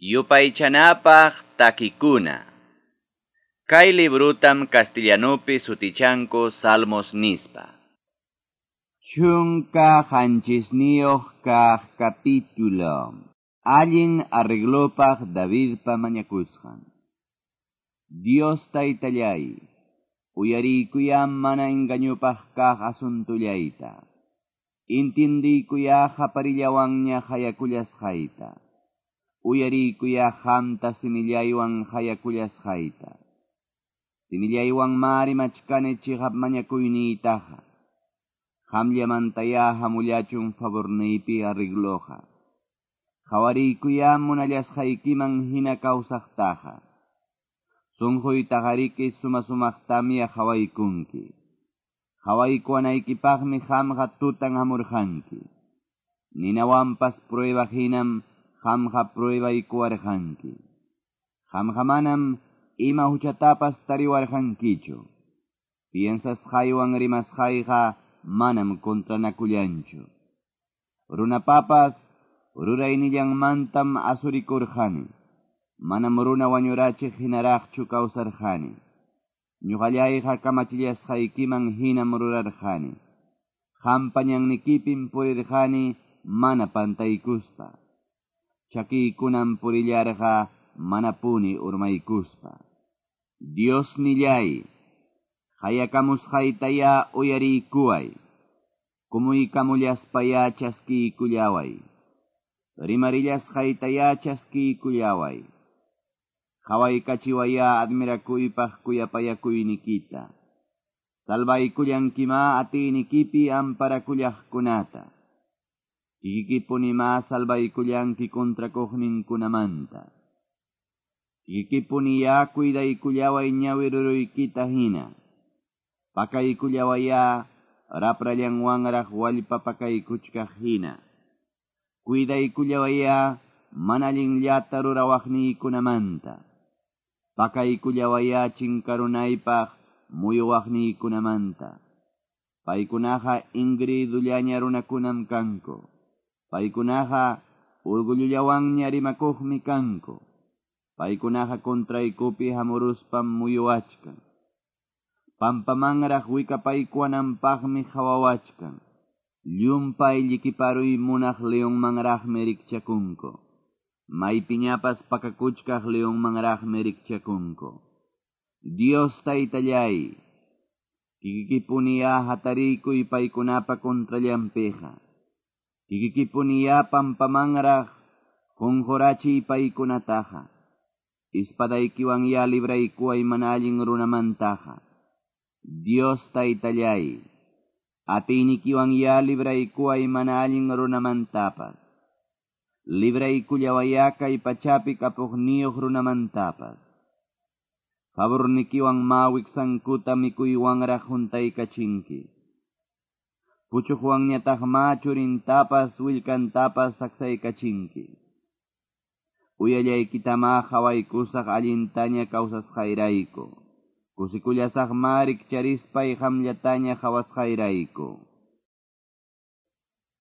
Yupaychanapaq takikuna. Kay librutam castellanupi sutichanku Salmos nispa. 17 kaq capítulo. Allin arreglopaq Davidpa mañakusqan. Dios taytallay, uyariykuyá mana engañupaq kaq asuntullayta. Intindiykuyá qaparillawanña qayakullasqayta. Uyariykuyá qamta simillaywan qayakullasqayta. Simillaywan ma rimachkani chiqap mañakuyniytaqa. Qamllamantayá hamullachun favorniypi arregloqa. Qhawariykuyá munallasqaykiman hina kawsaqtaqa. Sunquytaqariki suma-sumaqtamya qhawaykunki. Qhawaykuwanaykipaqmi qamqa tutan hamurqanki. Ninawanpas prueba hinam qamqa pruebaykuwarqanki. Qamqa manam ima huchatapas tariwarqankichu. Piensasqaywan rimasqayqa manam contranakullanchu. Runapapas ruraynillanmantam asurikurqani. Manam runa wañurachiq hinaraqchu kawsarqani. Ñuqallayqa kamachillasqaykiman hinam rurarqani. Qampa ñannikipim purirqani mana pantaykuspa. Chakiykunam purillarqa manapuni urmaykuspa. Dios nillay, qayakamusqaytayá uyariykuway. Kumuykamullaspayá chaskiykullaway. Rimarillasqaytayá chaskiykullaway. Qhawaykachiwayá admirakuypaq kuyapayakuynikita. Salvaykullankimá atiynikipi amparakullaqkunata. Kikikipunimá salvaykullanki kontrakuqninkunamanta. Kikikipuniyá cuidaykullaway ñawi ruruykita hina. Pakaykullawayá raprallanwanraq wallpa pakaykuchkaq hina. Cuidaykullawayá mana allinllata rurawaqniykunamanta. Pakaykullawayá chinkarunaypaq muyuwaqniykunamanta. Paykunaqa ingridullaña runakunam kanku. Paykunaqa orgullullawanña rimakuqmi kanku. Paykunaqa contraykupi hamuruspam muyuwachkan. Pampamanraq wikapaykuwananpaqmi qhawawachkan. Llumpay llikiparuy munaq leonmanraqmi rikchakunku. Maypiñapas pakakuchkaq leonmanraqmi rikchakunku. Dios taytallay, kikikipuniyá hatariykuy paykunapa contrallanpiqa. Kikikipuniyá pampamanraq qunqurachiy paykunataqa. Ispadaykiwanyá libraykuway mana allin runamantaqa. Dios taytallay, atiynikiwanyá libraykuway mana allin runamantapas. Libraykullawayá kay pachapi kapuqniyuq runamantapas. Favornikiwan ma wiksankuta mikuywanraq huntaykachinki. Puchuqwanñataq ma churintapas willkantapas saksaykachinki. Uyallaykitama qhawaykusaq allintaña kawsasqayrayku. Kusikullasaq ma rikcharispay qamllataña qhawasqayrayku.